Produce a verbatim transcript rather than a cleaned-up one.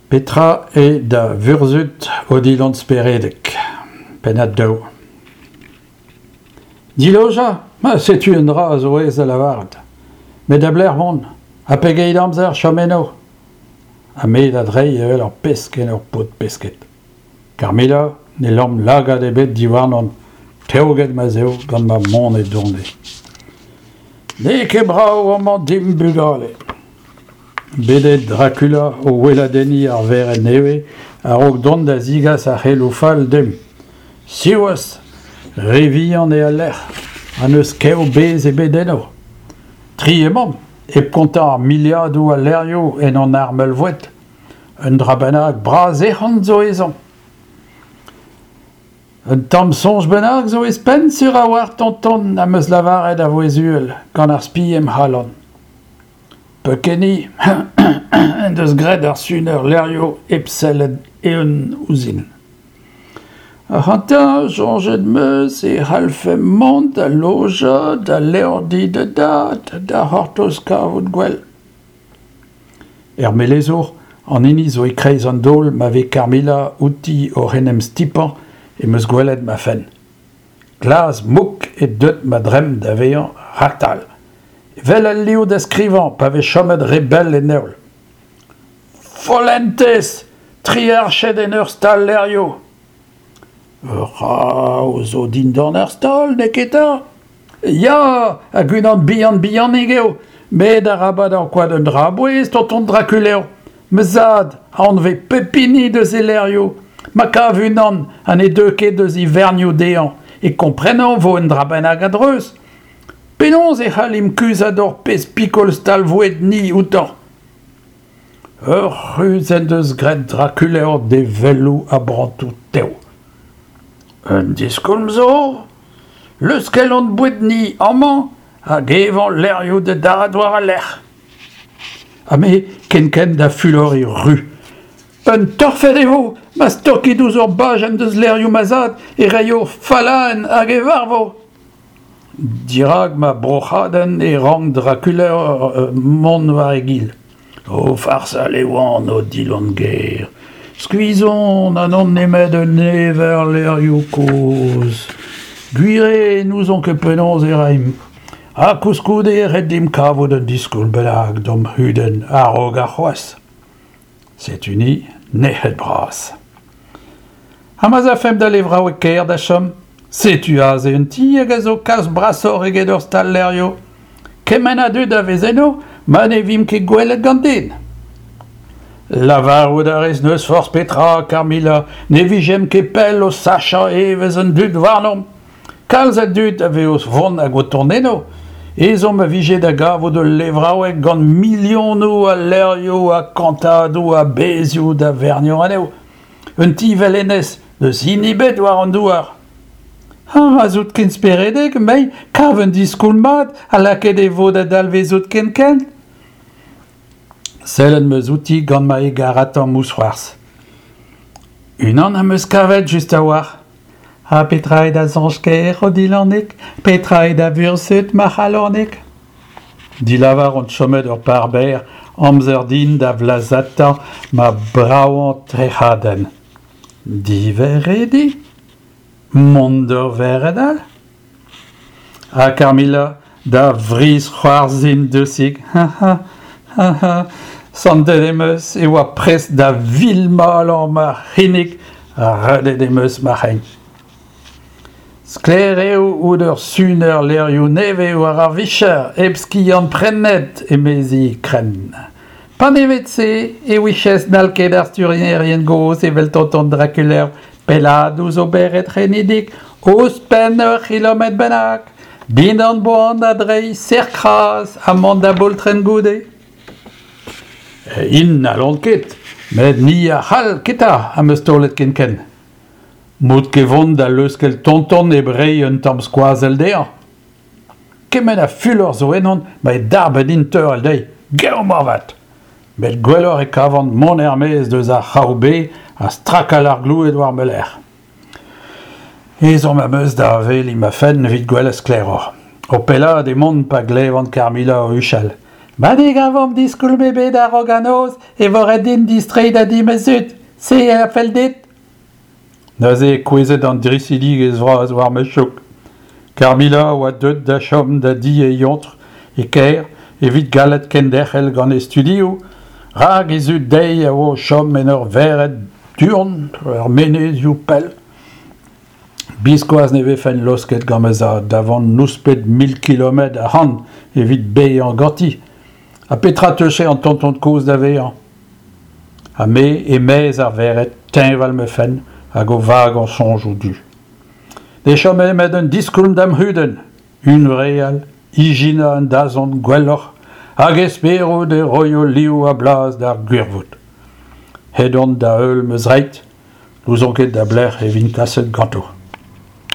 Petra eo da vurzhud Odilon Speredek? Pennad daou. Dilojañ ? Ma setu un dra a zo aes da lavaret. Met da belec'h mont ? Ha pegeit amzer chom eno ? Ha me da dreiñ evel ur pesk en ur pod-pesked. Carmilla ne lamm lagad ebet diwarnon, teoget ma'z eo gant ma mont-e-done. N'eo ket brav amañ dimp bugale. Bet eo Dracula o weladenniñ ar vered nevez a-raok dont da zegas ar c'heloù fall dimp. Siwazh, re vihan eo al lec'h ha n'eus kev-bez ebet eno. Tri emaomp, hep kontañ ar miliadoù a levrioù en hon armel-voued. Un dra bennak bras-ec'hon zo ezhomm. Un tamm soñj bennak zo ez penn sur a-walc'h tonton am eus lavaret a vouezh uhel, gant ar spi em c'halon. Peukeniñ en deus graet ar suner levrioù hep sellet eeun ouzhin. Ac'hanta, soñjet 'm eus e c'hallfemp mont da lojañ da levrdi da dad da c'hortoz kavout gwell. Er melezour, an hini zo e-kreiz an daol ma vez Carmilla outi oc'h en em stipañ em eus gwelet ma fenn. Glas-mouk eo deuet ma dremm da vezañ raktal. Evel al liv da skrivañ pa vez chomet re bell en heol. Follentez ! Tri arched en ur stal-levrioù ! Ur c'hrav zo dindan ar stal, neketa ? Ya, hag unan bihan-bihanik eo, met arabat ankouaat un dra a-bouez, tonton Drakulev. Ma zad a anvez pep hini deus e levrioù. Ma kav unan ha ne deu ket eus e vernioù dezhañ e komprenañ 'vo un dra bennak a-dreuz. Penaos e c'hallimp kuzhat hor pezh pikol stal-voued-ni outañ ? Ur c'hruz en deus graet Drakulev d'e velloù a-brantoù tev. Un diskoulm zo ? Leuskel hon boued-ni amañ hag evañ levrioù da dad war al lec'h. Ha me kenkent da fuloriñ ru. Un torfed e vo ma stokit ouzh ur bajenn deus levrioù ma zad e raio fallaenn hag e varvo. Dirak ma broc'hadenn e rank Drakulev mont war e gil. O farsal e oan, Odilon ger. Skuizh on ha n'on nemet un ever levrioù kozh. Gwir eo n'ouzon ket penaos e raimp. Ha koulskoude eo ret dimp kavout un diskoulm bennak d'hom c'hudenn a-raok arc'hoazh. Setu-ni nec'het bras. Ha ma'z afemp da levraoueg kêr da chom ? Setu aze un ti hag a zo kalz brasoc'h eget ur stal-levrioù. Kement a dud a vez eno ma ne vimp ket gwelet gant den. Lavarout a rez n'eus forzh petra, Carmilla, ne vijemp ket pell o sachañ evezh an dud warnomp. Kalz a dud a vez o vont hag o tont eno. Ezhomm a vije da gavout ul levraoueg gant milionoù a levrioù ha kantadoù a bezhioù da verniañ anezho. Un ti evel hennezh n'eus hini ebet war an douar. Ha ma'z out ken speredek, mei, kav un diskoulm mat ha lakaet e vo da dalvezout kenkent. Sellet 'm eus outi gant ma hegaratañ mousc'hoarzh. Unan am eus kavet just a-walc'h. Ha petra eo da soñj kaer, Odilanig ? Petra eo da vurzhud, ma c'halonig ? Dilavar on chomet ur par berr, amzer din da vlazata ma bravañ trec'hadenn. Diverrediñ ? Mont d'ur vered all ? Ha Carmilla da vrizhc'hoarzhin dousik. Ha ha ha Santet em eus e oa prest da vilmalañ ma c'hinnig ha redet em eus ma c'hein. Sklaer eo out ur suner levrioù nevez war ar vicher hep skiant-prenet, emezi krenn. Panevet-se e ouijes n'hall ket ar sturnierien gozh evel tonton Drakulev pellaat ouzh o bered c'henidik ouzhpenn ur c'hilometr bennak, dindan boan da dreiñ serr-kras ha mont da boultrenn goude. Int n'hallont ket, met ni a c'hall, keta, am eus taolet kenkent. M'out ket vont da leuskel tonton hep reiñ un tamm skoazell dezhañ. Kement a fulor zo ennon ma eo darbet din teurel dezhi, gaou moarvat ! Met gwelloc'h e kavan mont er-maez eus ar c'hraou-bez ha strakal ar gloued war ma lerc'h. Ezhomm am eus da aveliñ ma fenn evit gwelet sklaeroc'h. O pellaat emaon pa glevan Carmilla o huchal. Ma ne gavomp diskoulm ebet a-raok an noz e vo ret din distreiñ da di ma zud, se a fell dit ? Neuze eo kouezhet an dristidigezh vras war ma chouk. Carmilla a oa deuet da chom da di he eontr e kêr evit gallout kenderc'hel gant he studioù, rak he zud dezhi a oa o chom en ur vered du-hont er menezioù pell. Biskoazh ne vefen laosket gant ma zad da vont nouspet mil kilometr ac'hann evit bevañ ganti. Ha petra 'teufe an tonton kozh da vezañ ? Ha me e-maez ar vered, teñval ma fenn hag o vagañ soñjoù du. Ne chome nemet un diskoulm da'm c'hudenn, hunvreal, ijinañ un dazont gwelloc'h hag esperout e roio liv ha blaz d'ar gwirvoud. Aet on da heul ma zreid, n'ouzon ket da belec'h e vin kaset ganto.